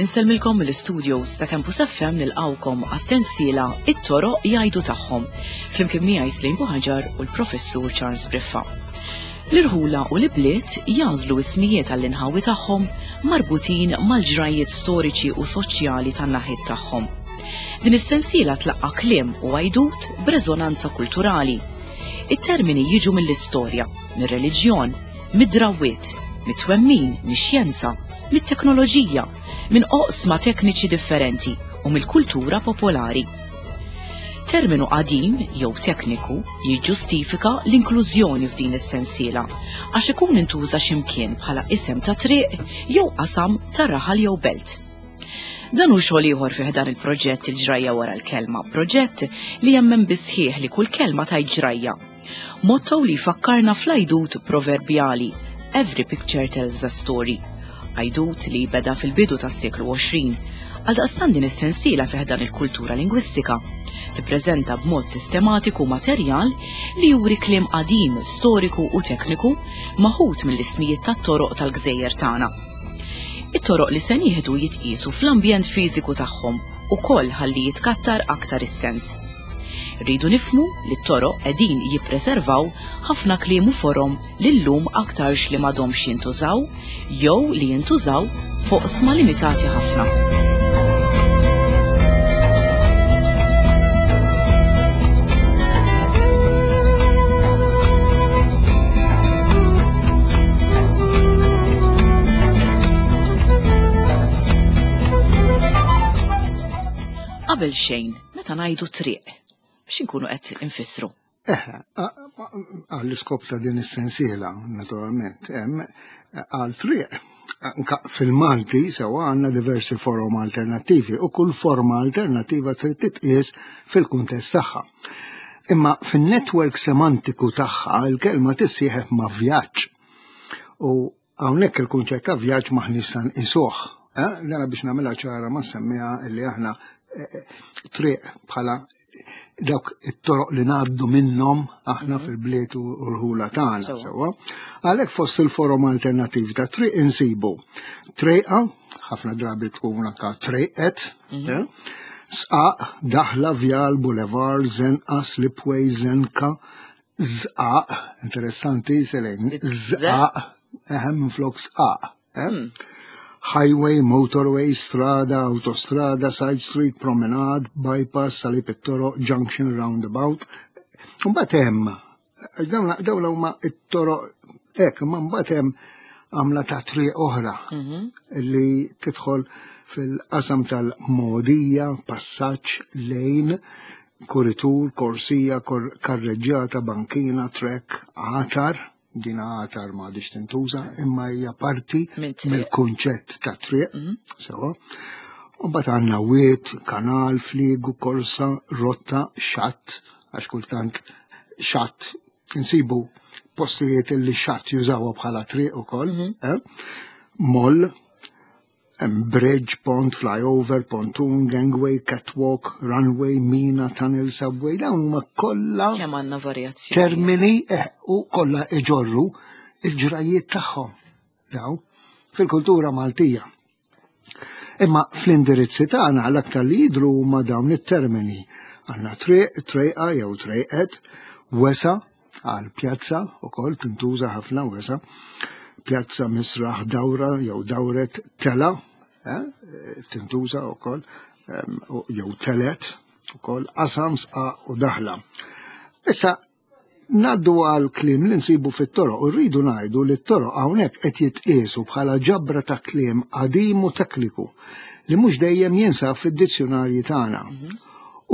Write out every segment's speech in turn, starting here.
Insellmilkom mill-studios ta' Campus FM nilqawkom għas-sensiela It-toroq jgħidu tagħhom flimkien miegħi Slim Buħaġar u l-Professur Charles Briffa. L-irħula u l-ibliet jagħżlu ismijiet għall-inħawi tagħhom marbutin mal-ġrajjiet storiċi u soċjali tan-naħiet tagħhom. Din is-sensiela tlaqqa' kliem u għajdut b'reżonanza kulturali. It-termini jiġu mill-istorja, mir-reliġjon, mid-drawwiet, mit-twemmin, mix-xjenza, mit-teknoloġija, minn oqsma tekniċi differenti u mill-kultura popolari. Terminu qadim jew tekniku jiġġustifika l-inklużjoni f'din is-sensiela għax ikun intuża x'imkien bħala isem ta' triq jew qasam ta' raħal jew belt. Dan hu xogħol ieħor fih dan il-proġett il-ġrajja wara l-kelma, proġett li jemmen bisħieħ li kull kelma tajt ġrajja. Motto li jfakkarna fl-għajdut proverbjali Every picture tells a story. Għajdut li beda fil-bidu tas-seklu 20. Għaldaqstant din is-sensiela fih dan il-kultura lingwistika tippreżenta b'mod sistematiku materjal li juri kliem qadim, storiku u tekniku maħud mill-ismijiet tat-toroq tal-gżejjer tagħna. It-toroq li se nieħdu jitqiesu fl-ambjent fiżiku tagħhom ukoll ħalli jitkattar aktar is-sens. Rridu nifhmu li t-toroq qegħdin jippreservaw ħafna kliem u forom li llum aktarx li m'għadhomx jintużaw jew li jintużaw f'oqsma limitati ħafna. Qabel xejn, Meta ngħidu triq, biex inkunu qed infissru? Eħe, għall-iskop ta' din is-sensiela, naturalment, hemm għal triq. Fil-Malti sewa għandna diversi forom alternattivi u kull forma alternattiva trid titqies fil-kuntest tagħha. Imma fin-netwerk semantiku tagħha il-kelma tissieħeb ma' vjaġġ. U Hawnhekk il-kunċett ta' vjaġġ m'aħniex sa nqisuh. Eh? Dana biex nagħmilha ċara ma semmiha li aħna eh, eh, triq bħala dawk it-toroq li ngħaddu minnhom aħna mhm. fil-bliet u l-ħula tagħna sewwa. Għalhekk fost il-forom alternattivi ta' triq insibu trejqa, ħafna drabi tkun anka trejqet, mhm. eh? sqaq, daħla, vjal, boulevard, zenqa, slipway, zenka, Zqaq, interessanti, selejn, zqaq, eħem minn flok sqaq. Eh? Hmm. Highway, motorway, strada, autostrada, side street, promenade, bypass, salib it-toroq, junction, roundabout. Mbagħad hemm, dawn huma it-toroq hekk, imma mbagħad hemm għamla ta' triq oħra mhm. li tidħol fil-qasam tal-modija, passaġġ, lejn, kuritur, korsija, karreġġjata, bankina, trek, għatar, din għatar ma għadix tintuża, imma hija parti mill-kunċett ta' triq, mhm. sewa. U bat għanna wiet, kanal, fliegu, korsa, rotta, xatt, għax kultant xatt insibu postijiet li xatt jużawha bħala triq ukoll, mhm. eh? moll, Hemm bridge, pont, flyover, pontoon, gangway, catwalk, runway, mina, tunnel, subway, dawn huma kollha kemm għandna varjazzjoni. Termini eh, u kollha iġorru il-ġrajiet tagħhom daw fil-kultura Maltija. Imma fl-indirizzi tagħna l-aktar li jidhru huma dawn it-termini. Għandna triq, trejqa jew trejqet, wesa, għal pjazza ukoll tintuża ħafna wesa, pjazza misraħ dawra jew dawret tela, eh, tintuża ukoll jew telet ukoll qasam sqa u daħla. Issa naddu għal kliem li nsibu fit-toroq u rridu ngħidu li t-toroq hawnhekk qed jitqiesu bħala ġabra ta' kliem qadim u tekniku li mhux dejjem jinsab fid-dizzjunarji tagħna. Mhm.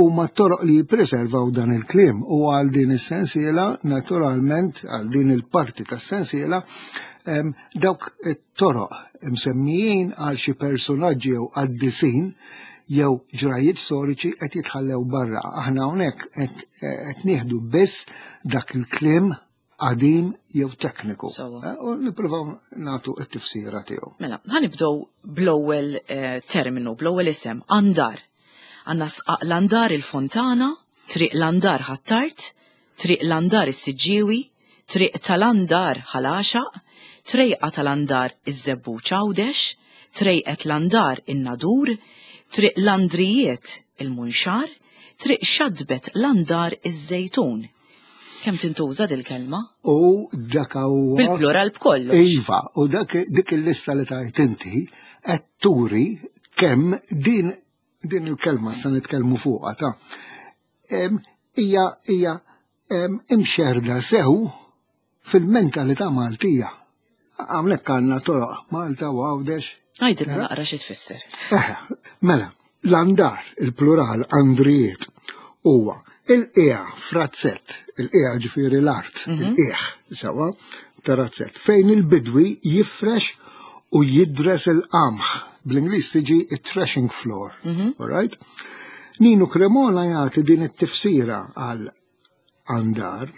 Huma t-toroq li jippreservaw dan il-kliem u għal din is-sensiela, naturalment, għal din il-parti tas-sensiela, dawk it-toroq imsemmijin għal xi personaġġi jew qaddisin jew ġrajiet storiċi qed jitħallew barra. Aħna hawnhekk qed nieħdu biss dak il-kliem qadim jew tekniku. Eh, u nippruvaw nagħtu t-tifsira tiegħu. Mela, ħanibdew bl-ewwel eh, terminu, bl-ewwel isem, andar. Għandna sqaq l-andar il-Fontana, triq l-andar ħattart, Triq Landar is-Siġġiewi, Triq tal-Andar Ħal Għaxaq, Trejqa tal-Andar iż-Żebbuġ Għawdex, Trejqet Landar in-Nadur, Triq Landrijiet il-Munxar, Triq Xatbet Landar iż-Żejtun. Kemm tintuża dil-kelma? U dak huwa. Bil-plural b'kollox. Iva, u dak dik il-lista li tajt inti qed turi kemm din din il-kelma sa nitkellmu fuqha ta' hija hija imxerda sew fil-mentalità Maltija. Hawnhekk għandna toroq Malta u Għawdex. Għajdilna naqra xi tfisser. Eh, mela, l-andar, il-plural andrijiet, huwa il-qiegħ frazzett, il-qiegħ ġifieri l-art, mhm. il-qiegħ sewa ta' razzett, fejn il-bidwi jifrex u jidres il-qamħ. Bl-Ingliż tiġi it-threshing floor, mhm. all right? Ninu Cremona jagħti din it-tifsira għal andar,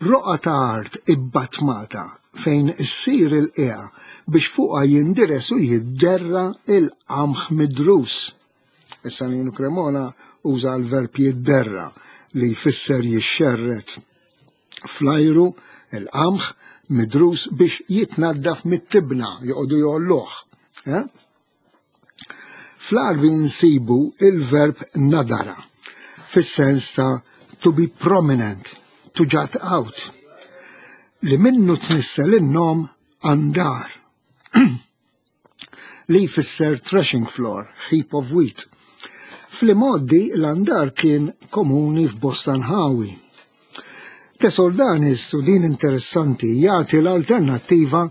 roqgħa ta' art ibbatmata fejn issir il-qiegħa biex fuqha jindires u jidderra il-qamħ midrus. Issa Ninu Cremona uża l-verb jidderra li jfisser jixxerred fl-ajru il-qamħ midrus biex jitnaddaf mit-tibna joqogħdu jgħolluh. Eh? Fl-Għarbi nsibu il-verb nadara, fis-sens ta' to be prominent, to jut out, li minnu tnissel in-nom andar, li jfisser threshing floor, heap of wheat. Fl-imgħoddi l-andar kien komuni f'bosta nħawi. De Soldanis, u din interessanti, jagħti l-alternattiva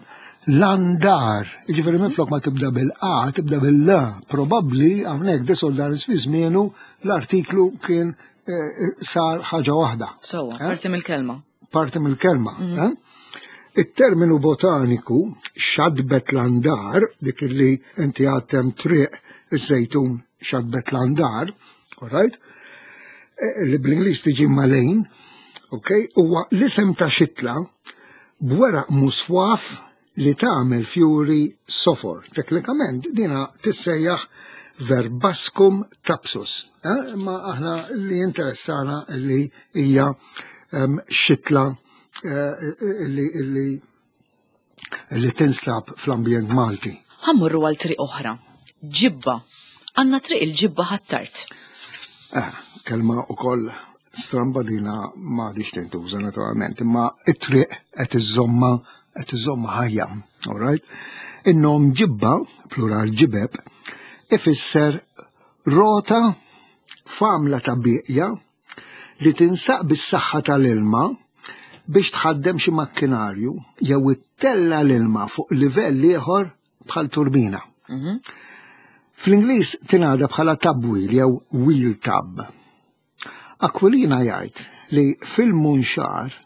l-andar. Jiġifieri minflok ma tibda bil-A, tibda bil-L. Probabbli hawnhekk De Soldanis fi żmienu l-artiklu kien eh, eh, sar ħaġa waħda. Sewwa, eh? parti mill-kelma. Parti mill-kelma. Mhm. It-terminu botaniku xadbet l-andar, dik li inti għattem triq iż-żejtun xadbet l-andar, all right? Eh, li bl-Ingliż tiġi malejn, ok, huwa l-isem ta' xitla b'weraq muswaf li tagħmel fjuri sofor. Teknikament dina tissejjaħ verbascum tapsus. Eh, imma aħna li interessana li hija ehm, xitla eh, li, li li tinstab fl-ambjent Malti. Ħa mmorru għal triq oħra. Ġibba. Għandna triq il-ġibba ħattart. Eh, kelma ukoll stramba dina ma għadix tintuża naturalment, imma it-triq qed iżomma qed iżomma ħajja, all right? In-nom ġibba, plural ġibeb, ifisser rota f'għamla ta' bieqja li tinsaq bis-saħħa tal-ilma biex tħaddem xi makkinarju jew ittella' l-ilma fuq livell ieħor bħal turbina. Mhm. Fl-Ingliż tingħada bħala tub wheel jew wheel tub. Aquilina jgħid li fil-munxar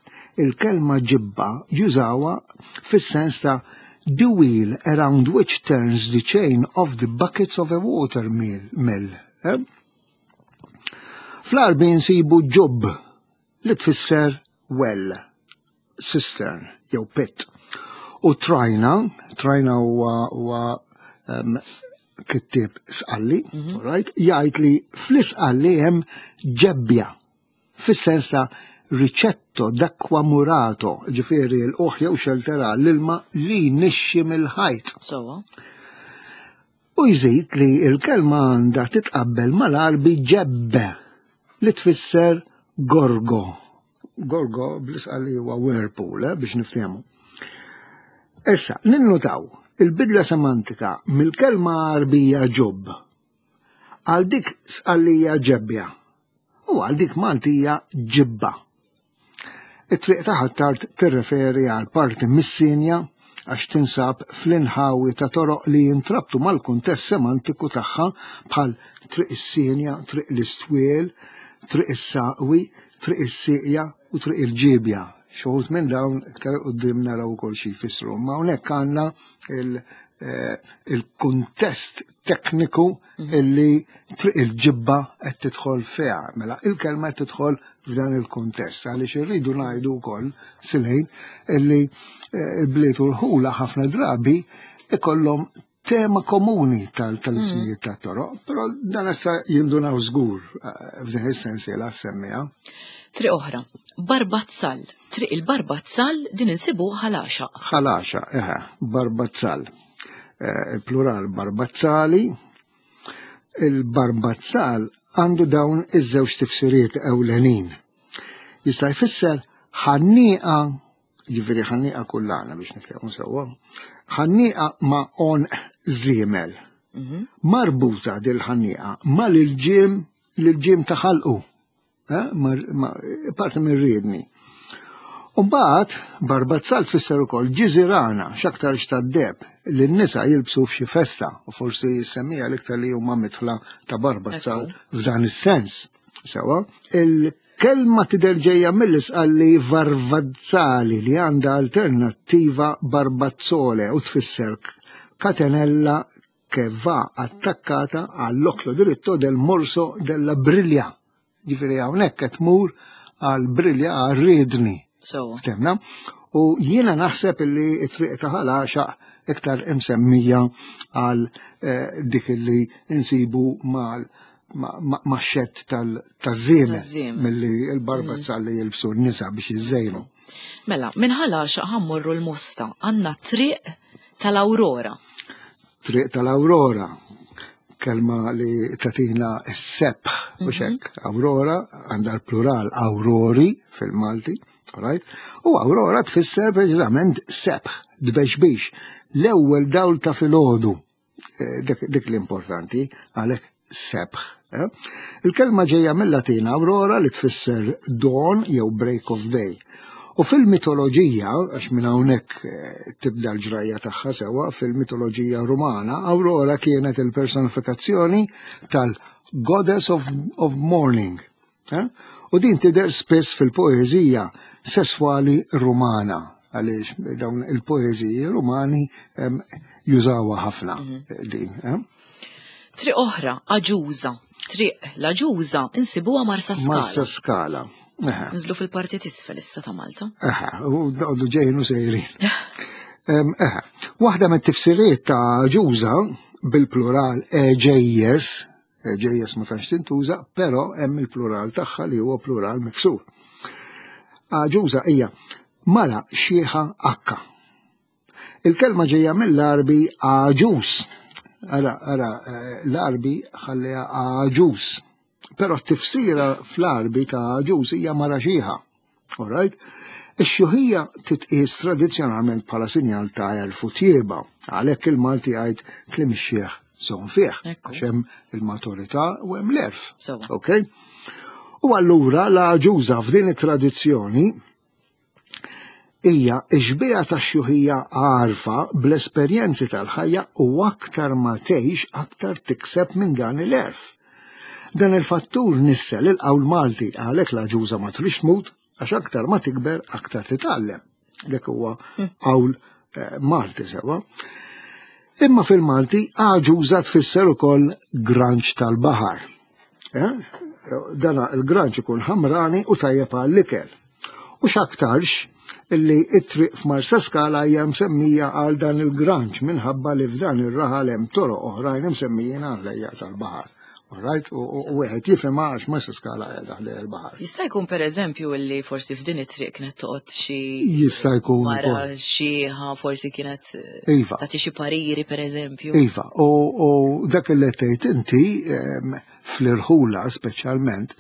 il-kelma ġibba jużawha fis-sens ta' the wheel around which turns the chain of the buckets of a water mill. mill eh? Fl-Għarbi nsibu ġubb li tfisser well, cistern jew pit. U trajna, trajna huwa huwa um, kittieb sqalli, mm -hmm. right? jgħid li fl-isqalli hemm ġebbja fis-sens ta' ricetto d'acqua murato, ġifieri l-qoħ jew xeltera l-ilma li nixxi mill-ħajt. So. U jżid li l-kelma għandha titqabbel mal-Għarbi ġebbe li tfisser gorgo. Gorgo bl-Isqalli huwa whirlpool, eh, biex niftehmu. Issa, ninnutaw il-bidla semantika mill-kelma Għarbija ġubb għal dik Sqallija ġebbja u għal dik Maltija ġibba. It-triq ta' Ħ'Attard tirreferi għal parti mis-Sinja għax tinsab fl-inħawi ta' toroq li jintrabtu mal-kuntest semantiku tagħha bħal Triq is-Sinja, Triq l-Istwiel, Triq is-Saqwi, Triq is-Sieqja u Triq il-Ġiebja. Xi wħud minn dawn iktar 'il quddiem naraw ukoll xi jfissru. Imma hawnhekk għandna eh, il-kuntest tekniku mhm. illi triq il-ġibba qed tidħol fiha. Mela il-kelma qed tidħol f'dan il-kuntest għaliex irridu ngħidu wkoll silejn illi eh, il-bliet u l-ħula ħafna drabi ikollhom tema komuni tal-ismijiet mm. tat-toroq, però dan issa jindunaw żgur eh, f'din is-sensiela semmija. Triq oħra, Barbazzal. Triq il-Barbazzal din insibu ħalaxa. Ħalaxa, eħe, Barbazzal. Eh, il-plural Barbazzali. Il-Barbazzal għandu dawn iż-żewġ tifsiriet ewlenin. Jista' jfisser ħannieqa, jiġifieri ħannieqa kullana biex niftehmu sewwa, ħannieqa ma' on żiemel. Mhm. Marbuta dil-ħannieqa mal-ilġiem l-ġiem ta' ħalqu. Eh, parti minn riedni. Umbagħad barbazzal tfisser ukoll ġiżirana x'aktarx tad-deb li n-nisa jilbsu f'xi festa u forsi semmija l-iktar li huma mitħla ta' barbazzal f'dan is-sens. Sewa, il-kelma tidher ġejja mill-isqalli varvazzali li għandha alternattiva barbazzole u tfisser katenella che va attaccata all'occhio diritto del morso della briglia. Ġifieri hawnhekk qed tmur għal brilja għal riedni. Ftemna? U jiena naħseb li t-triq ta' ħalaxa iktar imsemmija għal eh, dik li insibu mal ma' xett tal-żiemel milli l-barbazza mm. li jilbsu n-nisa biex jiżejnu. Mela, minn ħalaxa ħammorru l-mosta għandna triq tal-Aurora. Triq tal-Aurora, kelma li tatina s-sebħ, u mhm. xek, Aurora, għandha l-plural aurori fil-Malti, right? U Aurora tfisser preċiżament sebħ, dbexbix, l-ewwel dawl ta' filgħodu, eh, dik l-importanti, għalhekk sebħ. Eh? Il-kelma ġejja mill-Latin aurora li tfisser dawn jew break of day. U fil-mitoloġija, għax minn hawnhekk eh, tibda l-ġrajja tagħha sewwa, fil-mitoloġija Rumana, Aurora kienet il-personifikazzjoni tal-Goddess of, of Morning. Eh? U din tidher spiss fil-poeżija sesswali Rumana, għaliex dawn il-poeżiji Rumani jużawha ħafna mhm. din. Eh? Triq oħra, Aġuża. Triq l-Aġuża insibuha Marsa Skala. Marsa Skala. Nżlu fil-parti tisfel issa ta' Malta. Eħe, u noqogħdu ġejjin u sejrin. Eħe, waħda mit-tifsiriet ta' Aġuża bil-plural eġejjes, eġejjes ma tantx tintuża, però hemm il-plural tagħha li huwa plural miksur. Aġuża hija mara xieħa akka. Il-kelma ġejja mill-Għarbi għaġuż. Ara, ara, eh, l-Għarbi ħalliha għaġuż. Però t-tifsira fl-Għarbi ta' għaġuż hija mara xieħa. All right? Ix-xjuħija titqies tradizzjonalment bħala sinjal ta' għerf u tjieba, għalhekk il-Malti jgħid kliem ix-xiħ żomm fih, għax hemm il-maturità u hemm l-għerf. Ok? U allura l-għaġuża f'din it-tradizzjoni Hija x-xbieha tax-xjuħija għarfa bl-esperjenzi tal-ħajja u aktar ma tgħix aktar tikseb minn dan il-għerf. Dan il-fattur nissel il-qawl Malti għalhekk l-għaġuża ma tridx tmut għax aktar ma tikber aktar titgħallem. Dak huwa hmm. qawl eh, Malti sewa. Imma fil-Malti għaġuża tfisser ukoll granċ tal-baħar. Eh? Dana il-granċ ikun ħamrani u tajjeb għall-ikel. U x'aktarx illi it-triq f'Marsa Skala hija msemmija għal dan il-granċ minħabba li f'dan ir-raħal hemm toroq oħrajn imsemmijin għal ħlejjaq tal-baħar. Right? U wieħed jifhimha għax Marsa Skala qiegħda ħdej il-baħar. Jista' jkun pereżempju illi forsi f'din it-triq kienet toqgħod xi Jista' jkun mara xieħa forsi kienet eh, iva. tagħti xi pariri pereżempju. Iva, u dak li tgħid inti fl-irħula speċjalment.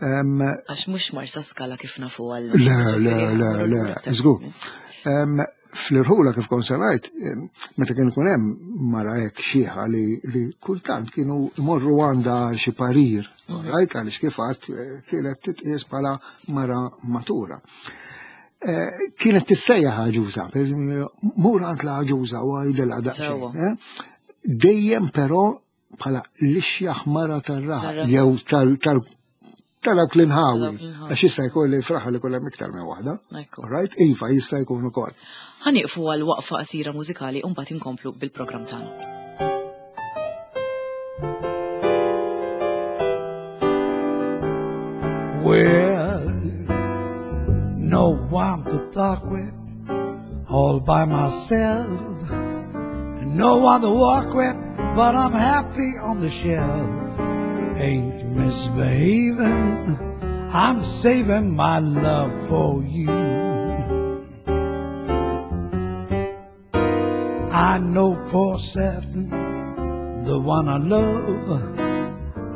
Għax mhux Marsa Skala kif nafu għal. Le, le, le, le, żgur. Fl-irħula kif kont ngħid, meta kien ikun hemm mara hekk xieħa li, li kultant kienu jmorru għandha xi parir, mhm. right, għaliex kif għadd eh, kienet titqies bħala mara matura. Eh, kienet tissejjaħ għaġuża, mur għand l-għaġuża u għajdilha daqsxejn. Eh. Dejjem però bħala l-ixjaħ mara tar-raħal jew tal tal-dawk l-inħawi. Għax jista' jkun li fraħa li kull iktar minn waħda. Right? Iva, jista' jkun ukoll. Ħaniqfu għal waqfa qasira mużikali u mbagħad inkomplu bil-programm tagħna. Well, no one to talk with, all by myself. No one to walk with, but I'm happy on the shelf. Ain't misbehaving, I'm saving my love for you. I know for certain the one I love.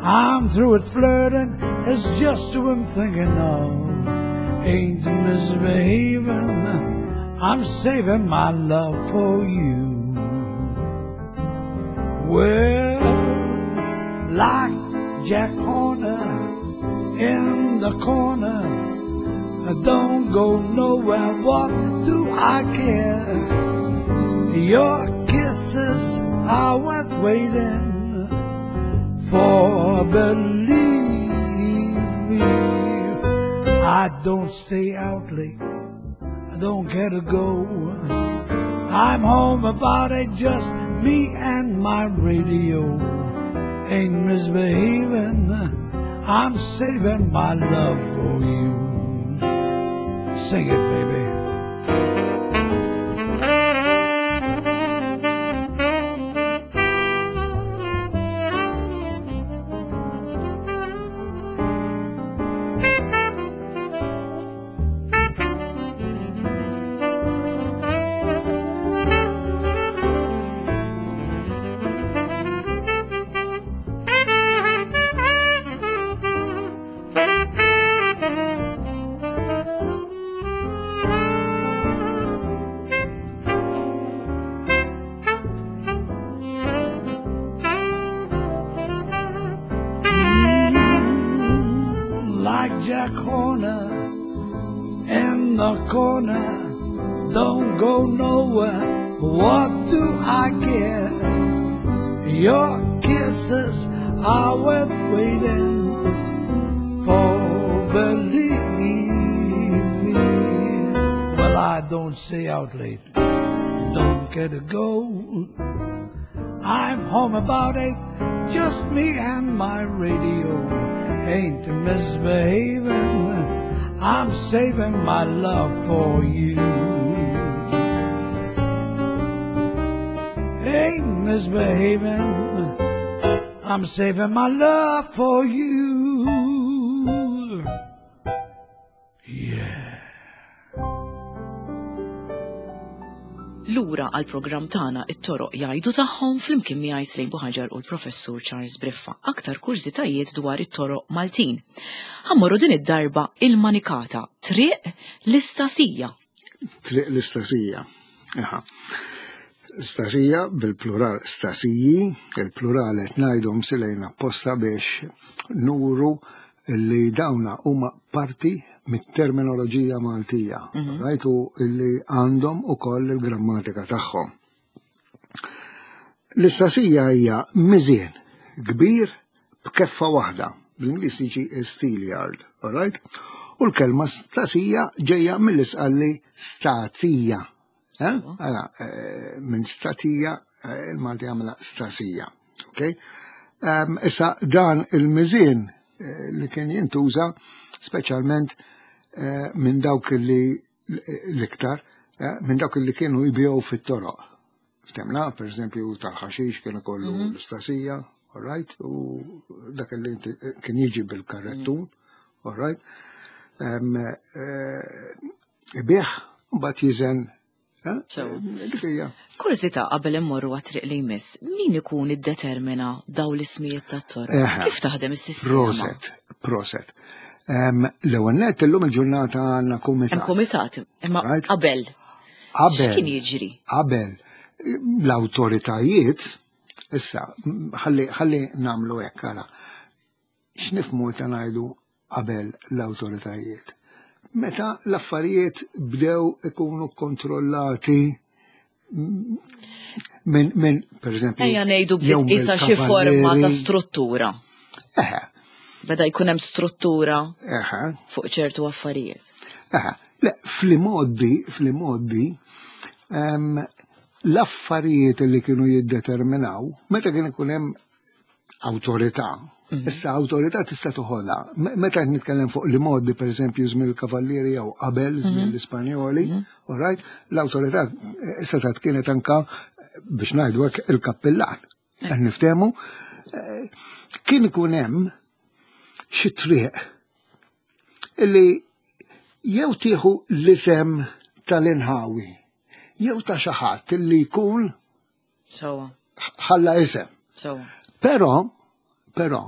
I'm through with flirting, it's just who I'm thinking of. Ain't misbehaving, I'm saving my love for you. Well, like Jack Horner in the corner, I don't go nowhere, what do I care? Your kisses I was waiting for, believe me. I don't stay out late, I don't care to go. I'm home about it, just me and my radio. Ain't misbehaving, I'm saving my love for you. Sing it, baby. Like Jack Horner in the corner, don't go nowhere. What do I care? Your kisses are worth waiting for, believe me. Well, I don't stay out late, don't care to go. I'm home about 8, just me and my radio. Ain't misbehaving, I'm saving my love for you. Ain't misbehaving, I'm saving my love for you. Yeah. Lura għal programm tagħna it-toroq jgħidu tagħhom flimkien miegħi Slejn Buħaġar u l-Professur Charles Briffa aktar kurżitajiet dwar it-toroq Maltin. Ħa mmorru din id-darba il-Manikata, triq l-Istasija. Triq l-Istasija. Aha. Stasija bil-plural stasiji, il-plural qed ngħidhom silejn apposta biex nuru li dawna huma parti mit-terminoloġija Maltija, rajtu li għandhom ukoll il-grammatika tagħhom. L-istasija hija miżien kbir b'keffa waħda, bl-Ingliż jiġi steelyard, all right? U l-kelma stasija ġejja mill-isqalli statija. Eh? Għala, minn statija il-Malti għamla stasija. Ok? Issa dan il-miżien li kien jintuża speċjalment minn dawk li l-iktar, minn dawk li kienu jbigħu fit-toroq. Ftemna, per eżempju, tal-ħaxix kienu kollu l-istasija, all right? U dak li inti kien jiġi bil-karrettun, all right? Ibigħ, mbagħad jiżen. Dik hija. Kurżità qabel immorru għat-triq li jmiss, min ikun iddetermina daw l-ismijiet tat-toroq? Kif taħdem is-sistema? Proset, proset. L-ewwel nett illum il-ġurnata għandna kumitat. Hemm kumitat, imma Right? qabel. Qabel. X'kien jiġri? Qabel. L-awtoritajiet, issa, ħalli nagħmlu hekk ara. X'nifhmu ta' ngħidu qabel l-awtoritajiet? Meta l-affarijiet bdew ikunu kontrollati minn, per eżempju, Ejja ngħidu jew bdiet qisha xi forma ta' mill-kavallieri. struttura. Eħe. Beda jkun hemm struttura Eħe. fuq ċertu affarijiet. Eħe. Le, fl-imoddi, l-affarijiet li kienu jiddeterminaw, meta kien ikun hemm awtorità, issa awtorità tista' toħodha. Meta qed nitkellem fuq li modi, per eżempju, żmien il-kavallieri jew qabel żmien l-Ispanjoli, all right, l-awtorità setgħet kienet anka biex ngħidu hekk il-kappillan. Qed niftehmu, kien ikun hemm xi triq. Illi jew tieħu l-isem tal-inħawi, jew ta' xi ħadd li jkun Sewwa. Ħalla isem. Sewwa. Però, però,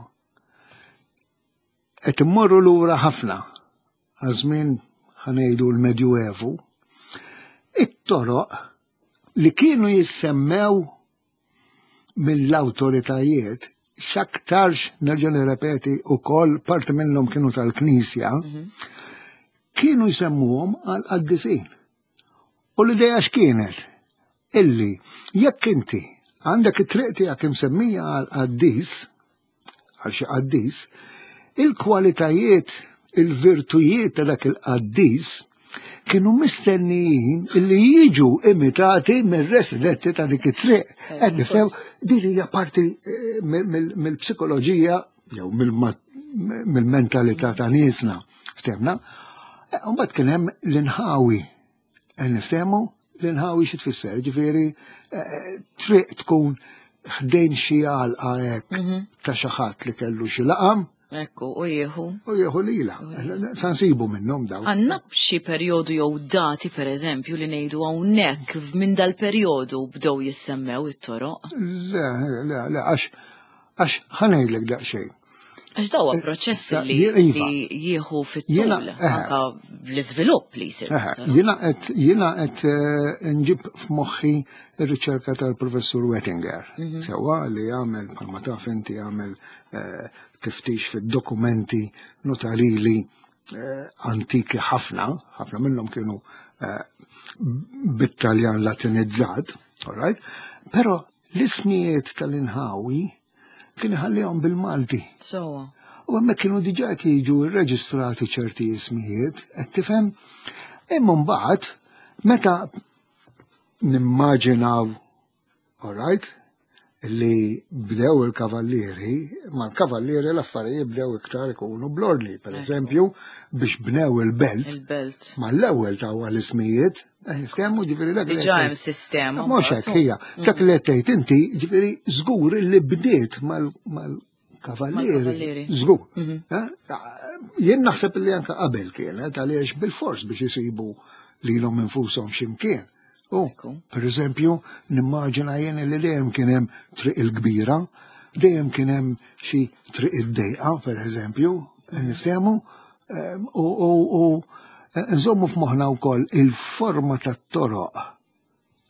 qed immorru lura ħafna għaż-żmien ħanejdu l-Medjuevu, it-toroq li kienu jissemmew mill-awtoritajiet x'aktarx nerġa' nirrepeti wkoll parti minnhom kienu tal-Knisja, kienu jsemmuhom għal qaddisin. U l-idea x'kienet? Illi jekk inti għandek it-triq tiegħek imsemmija għal qaddis, għal xi qaddis, il-kwalitajiet, il-virtujiet ta' dak il-qaddis kienu mistennijin illi jiġu imitati mir-residenti ta' dik it-triq. Qed nifhem din hija parti eh, mill-psikoloġija jew mill-mentalità ta' niesna. Ftemna? Eh, mbagħad kien hemm l-inħawi. Eh, niftehmu l-inħawi xi tfisser, ġifieri triq tkun ħdejn xi għalqa hekk mhm. ta' xi ħadd li kellu xi laqam. Ekku, u jieħu. U jieħu lila. Sansibu minnhom daw. Għandna xi perjodu jew dati pereżempju li ngħidu hawnhekk minn dal-perjodu bdew jissemmew it-toroq? Le, le, le, għax għax ħanejlek daqsxejn. Għax dawa eh, proċess li iva. jieħu fit-tul, eh. anka l-iżvilupp li jsir. Eh, jiena qed jiena qed nġib f'moħħi r-riċerka tal-professur Wettinger, mhm. sewwa li jagħmel bħalma taf inti jagħmel tiftix fid-dokumenti notarili antiki ħafna, ħafna minnhom kienu bit-Taljan Latinizzat, all right? Però l-ismijiet tal-inħawi kien iħallihom bil-Malti. Sowa. U hemmhekk kienu diġà qed jiġu rreġistrati ċerti ismijiet, qed tifhem? Imma mbagħad meta nimmaġinaw, all right, li bdew il-kavallieri, ma l-kavallieri l-affarijiet bdew iktar ikunu blordni, per eżempju, biex bnew il-belt. Il-belt. Ma l-ewwel taw l-ismijiet, Niftehmu ġifieri dak. Diġà hemm sistema. Mhux hekk hija. Mm. Dak li qed tgħid inti ġifieri żgur li bdiet mal-kavallieri. Żgur. Mhm. Eh? Jien naħseb li anke qabel kienet għaliex bil-fors biex isibu lilhom infushom x'imkien. U, per eżempju, nimmaġina jien li dejjem kien hemm triq il-kbira, dejjem kien hemm xi triq id-dejqa, per eżempju, niftehmu, Ehm, u nżommu f'moħħna wkoll il-forma tat-toroq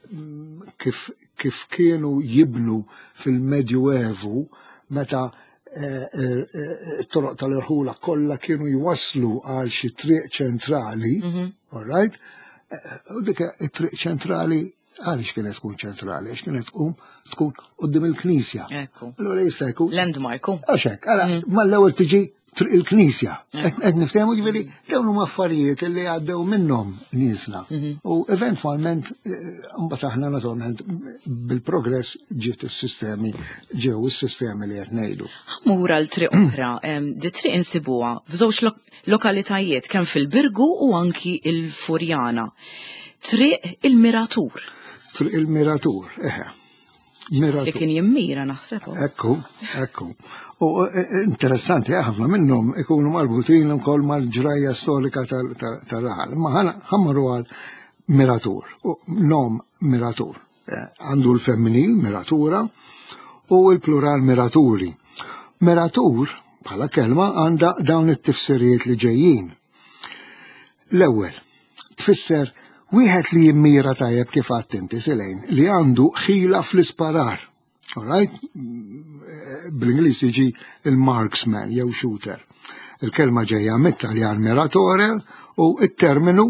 mm, kif, kif kienu jibnu fil-Medjuevu meta eh, eh, eh, toroq tal-irħula kollha kienu jwaslu għal xi triq ċentrali, mhm. all right? U dik it-triq ċentrali Għaliex kienet tkun ċentrali? Għax kienet tkun tkun qudiem il-knisja. Ekku. Allura jista' jkun. Landmark. Għax hekk, għala mm. mal-ewwel tiġi triq il-knisja. Qed niftehmu ġifieri mm. dawn huma affarijiet li għaddew minnhom niesna. Mm-hmm. U eventwalment eh, mbagħad aħna naturalment bil-progress ġiet is-sistemi ġew is-sistemi li qed ngħidu. Ħmur għal triq oħra, di triq insibuha f'żewġ lokalitajiet kemm fil-Birgu u anki il-Furjana. Triq il-Miratur. Triq il-Miratur, eħe. Miratur. Li kien jimmira naħseb. Ekku, ekku. U e, e, interessanti, eh, ħafna minnhom ikunu marbutin ukoll mal-ġrajja storika tal-raħal. Ma ħammru għal Miratur, nom Miratur. Eh, għandu l-femminil, miratura, u l-plural miraturi. Miratur, bħala kelma, għandha dawn it-tifsirijiet li ġejjin. L-ewwel, tfisser wieħed li jimmira tajjeb kif għadt inti Silejn, li għandu ħila fl-isparar. Alright? Bl-Ingliż jiġi il-marksman jew shooter. Il-kelma ġejja mit-Taljan miratore u it-terminu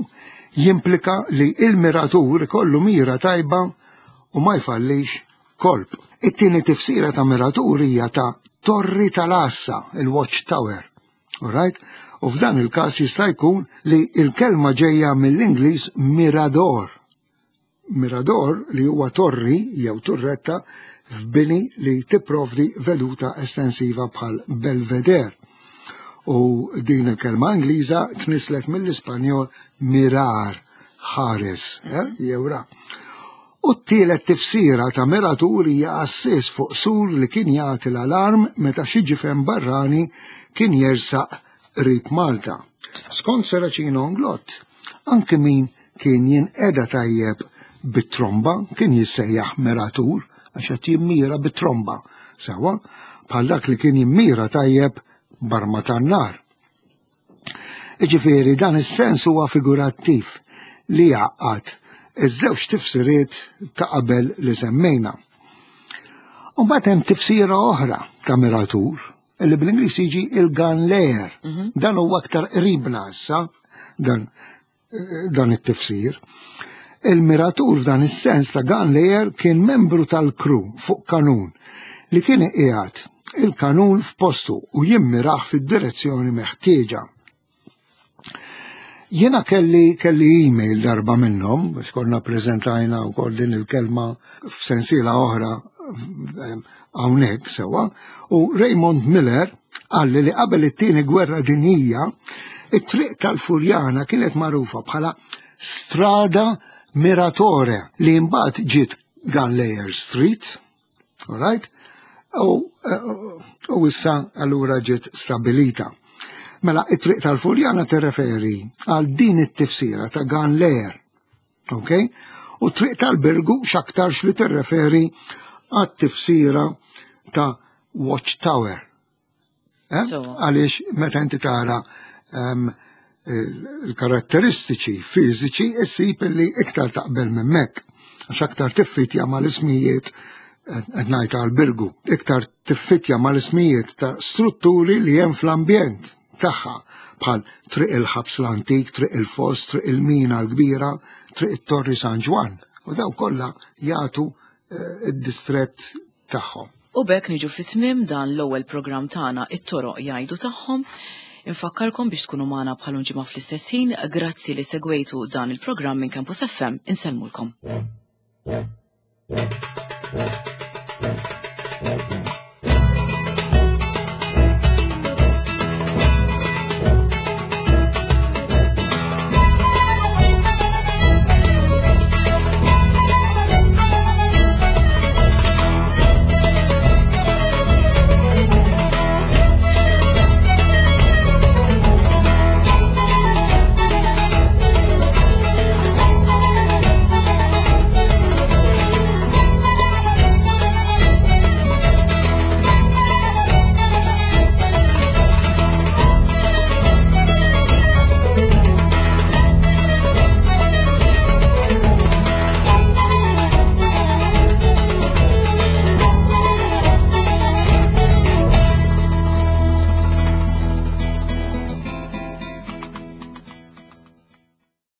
jimplika li il-miratur ikollu mira tajba u ma jfallix kolp. It-tieni tifsira ta' miratur hija ta' torri tal-għassa, il-watch tower. Alright? U f'dan il-każ jista' jkun li il-kelma ġejja mill-Ingliż mirador. Mirador li huwa torri jew turretta f'bini li tipprovdi veduta estensiva bħal belvedere. U din il-kelma Ingliża tnislet mill-Ispanjol mirar, ħares, eh, jew ra. U t-tielet tifsira ta' miratur hija għassies fuq sur li kien jagħti l-alarm meta xi ġifen barrani kien jersaq qrib Malta. Skont Seracino Onglott, anke min kien jinqeda tajjeb bit-tromba kien jissejjaħ miratur għax qed jimmira bit-tromba, sewwa bħal dak li kien jimmira tajjeb barma tan-nar. Iġifieri dan is-sens huwa figurattiv li jgħaqqad iż-żewġ tifsiriet ta' qabel li semmejna. U mbagħad hemm tifsira oħra ta' miratur li bl-Ingliż jiġi il-gun layer. Mhm. Dan huwa aktar qribna issa dan dan it-tifsir. Il-miratur f'dan is-sens ta' gun layer kien membru tal-kru fuq kanun li kien iqiegħed il-kanun f'postu u jimmirah fid-direzzjoni meħtieġa. Jiena kelli kelli email darba minnhom, biex konna preżentajna wkoll din il-kelma f'sensiela oħra hawnhekk sewwa, u Raymond Miller qalli li qabel it-tieni gwerra dinjija, it-triq tal-Furjana kienet magħrufa bħala Strada Miratore li mbagħad ġiet Gunlayer Street, all right? U, u issa allura ġiet stabilita. Mela, it-triq tal-Furjana tirreferi għal din it-tifsira ta' Gunlayer. Ok? U triq tal-Birgu x'aktarx li tirreferi għat-tifsira ta' Watchtower. Eh? Għaliex meta inti tara ehm, il-karatteristiċi fiżiċi issib li iktar taqbel minn mek. Għax aktar tiffitja mal-ismijiet qed ngħid għal-Birgu, iktar tiffitja mal-ismijiet ta' strutturi li hemm fl-ambjent tagħha bħal Triq il-Ħabs l-Antik, Triq il-Foss, Triq il-Mina l-Kbira, Triq it-Torri San Ġwann. U daw kollha jagħtu eh, id-distrett tagħhom. U b'hekk niġu fi tmiem dan l-ewwel programm tagħna It-Toroq Jgħidu Tagħhom. Infakkarkom biex tkunu magħna bħal ġimgħa fl-istess ħin, grazzi li segwejtu dan il-programm minn Campus FM, insellmulkom. Thank you.